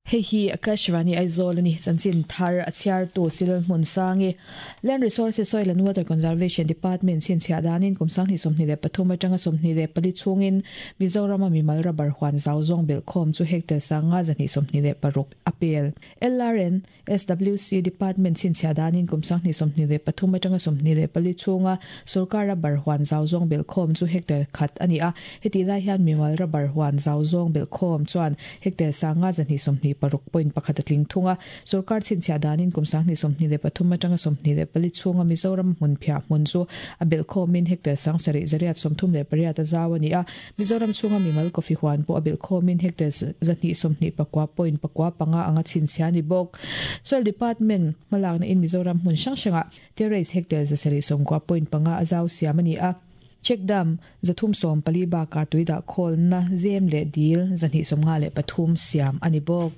Hei hi Akashvani Aizawl a ni. Chanchin thar a chhiartu Silal Hmunsangi, Land Resources, Soil and Water Conservation Department chhinchhiah danin kum 2023 atanga 24 chhungin Mizorama mimal rubber huan zau zawng belhkhawm chu hectare 5,226 a pel. LRN, SWC Department chhinchhiah danin kum 2023 atanga 24 chhunga sorkar rubber huan zau zawng belhkhawm chu hectare khat a ni a, hetih lai hian mimal rubber huan zau zawng belhkhawm chuan hectare 5,226.1 a tling thung a. Sorkar chhinchhiah danin kum 2023 atanga 24 chhunga Mizoram hmun phiah hmun chu a belhkhawmin hectare 7,838 a zau a ni a, Mizoram chhunga mimal coffee huan pawh a belhkhawmin hectare 229.95 anga chhinchhia a ni bawk. Soil Department hmalakna in Mizoram hmun hrang hrangah terrace hectare 790.5 a zau siam a ni a. Check dam 314 bakah tui dah khawlna zem leh dil 253 siam a ni bawk.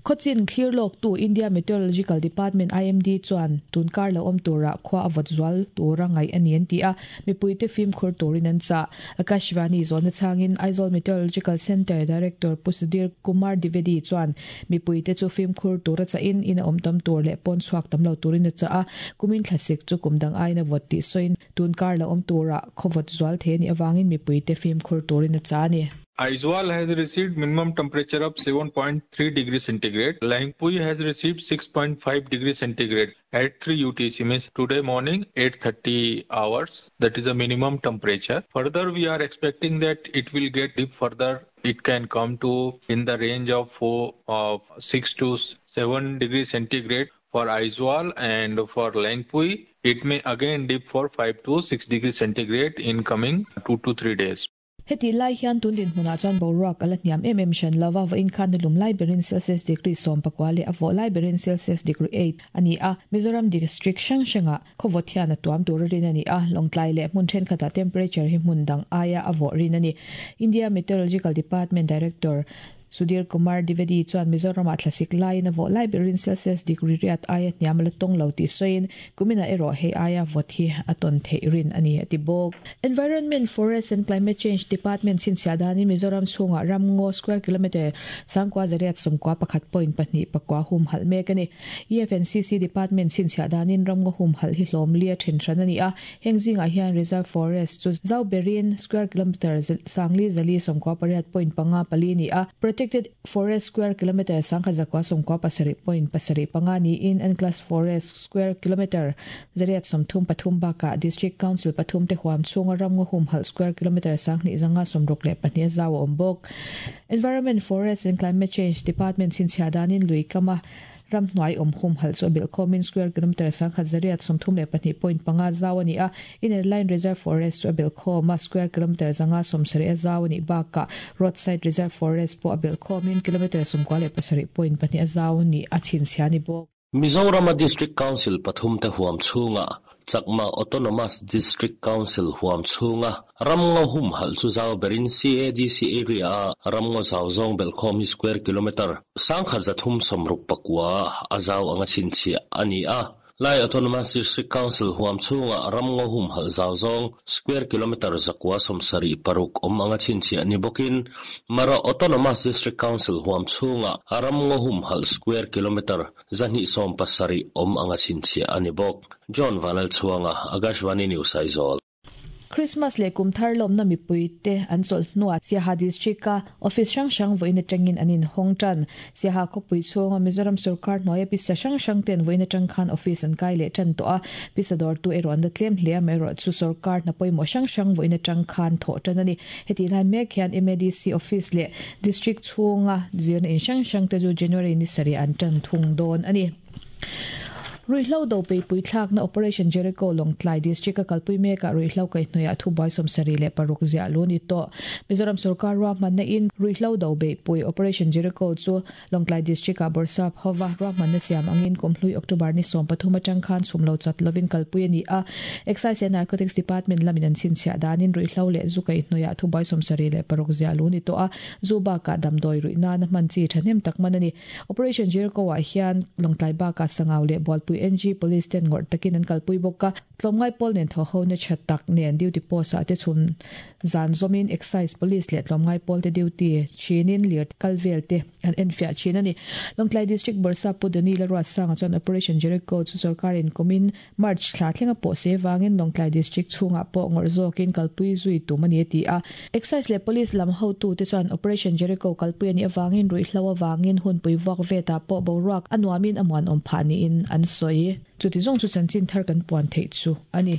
Khawchin thlir lawktu India Meteorological Department, IMD, chuan tun kar lo awm turah khua a vawt zual tura ngaih a ni an ti a, mipuite fimkhur turin an chah. Akashvani zawhna chhangin Aizawl Meteorological Centre Director Pu Sudhir Kumar Dwivedi chuan mipuite chu fimkhur tura chahin in a awm tam tur leh pawn chhuak tam lo turin a chah a, kumin thlasik chu kum dang aiin a vawt tih sawiin tun kar lo awm turah khaw vawt zual thei a nih avangin mipuite fimkhur turin a chah a ni. Aizawl has received minimum temperature of 7.3 degree centigrade. Lengpui has received 6.5 degree centigrade at 3 UTC means today morning 8:30 hours. That is a minimum temperature. Further, we are expecting that it will get deep further. It can come to in the range of 4 of 6 to 7 degree centigrade for Aizawl and for Lengpui. It may again dip for 5 to 6 degree centigrade in coming 2 to 3 days. Hetih lai hian tun dinhmunah chuan boruak a la hniam em em hran lo a, vawiin khan nilum lai berin Celsius degree 19 leh a vawh lai berin Celsius degree eight a ni a. Mizoram district hrang hrangah khawvawt hian a tuam tur a rin a ni a, Lawngtlai leh hmun thenkhatah temperature hi hmun dang aia a vawh rin a ni. India Meteorological Department Director Sudhir Kumar Dwivedi chuan Mizoramah thlasik laiin a vawh lai berin Celsius degree riat aia hniam a la tawng lo tih sawiin kuminah erawh hei aia vawt hi a tawn theih rin a ni a ti bawk. Environment, Forest and Climate Change Department chhinchhiah danin Mizoram chhungah ramngaw square kilometre 9891.2 humhalh mek a ni. EFNCC Department chhinchhiah danin ramngaw humhalh hi hlawm li a then hran a ni a, Heng zingah hian Reserve Forest chu zau berin square kilometre sangli zali 98.54 ni a, Protected Forest square kilometre 1197.75 niin Enclosed Forest square kilometre 833 bakah District Council pathum te huam chhunga ramngaw humhalh square kilometre 2562 a zau a awm bawk. Environment, Forest and Climate Change Department chhinchhiah danin lui kama Ramhnuai awm humhalh chu a belh khawmin square kilometre 1832.5 zau a ni a, Inner Line Reserve Forest chu a belh khawm a, square kilometre 570 a zau a nih bakah Roadside Reserve Forest pawh a belh khawmin kilometre 97.2 a zau nih a chhinchhiah a ni bawk. Mizorama District Council pathumte huam chhungah Chakma Autonomous District Council huam chhunga ramngaw humhalh chu zau berin CADC area-a ramngaw zau zawng belhkhawm hi square kilometre 1369 a zau anga chhinchhiah a ni a. Lai Autonomous District Council huam chhunga ramngaw humhalh zau zawng square kilometre 976 awm anga chhinchhiah ni bawkin Mara Autonomous District Council huam chhunga ramngaw humhalh square kilometre 270 awm anga chhinchhiah a ni bawk. John Vanlalchhuanga, Akashvani News Aizawl. Christmas leh kum thar lawmna mipuite an chawlh hnuah Siaha District-a office hrang hrang vawiin atangin an inhawng tan. Siaha khawpui chhunga Mizoram sawrkar hnuaia pisa hrang hrang ten vawiin atang khan office an kai leh tan tawh a, pisa dawrtu erawh an la tlem hle a, amaherawhchu sawrkar hna pawimawh hrang hrang vawiin atang khan thawh tan a ni. Hetih lai mek hian MADC office leh District chhunga zirna in hrang hrang te chu January ni sarih an tan thung dawn a ni. Ruihhlo do peipui thlakna Operation Jericho Lawngtlai District a kalpui mekah ruihhlo kaihhnawihah thubuai 76 ziah lu ni tawh. Mizoram sawrkar ruahmanna in ruihhlo do beihpui Operation Jericho chu Lawngtlai District-ah Bawrhsap hova ruahmanna siam angin kumhlui October ni 13 atang khan chhum lo chat lovin kalpui a ni a. Excise and Narcotics Department lamin an chhinchhiah danin ruihhlo leh zu kaihhnawihah thubuai 76 ziah lu ni tawh a, zu bakah damdawi ruih nana hman chi thahnem tak man a ni. Operation Jericho-ah hian Lawngtlai bakah Sangau leh Bualpui. Lengpui NG Police ten ngawrh takin an kalpui bawk a. Tlawmngai pawl nen thawhhona tha tak nen duty post ah te chhun zan zawmin Excise Police leh tlawmngai pawl te duty thinin lir kal vel te an enfiah thin a ni. Lawngtlai District Bawrhsap Pu Danny Laruatsanga chuan Operation Jericho chu sorkarin kumin March thla thlenga pawh se vangin Lawngtlai District chhungah pawh ngawrh zawkin kalpui zui tum a ni a ti a. Excise leh Police lam hotute chuan Operation Jericho kalpui a nih avangin ruihhlo avangin hunpui vuak vetah pawh boruak a nuamin a muanawm phah niin an sawi. Chuti zawng chu chanchin thar kan puan theih chu a ni.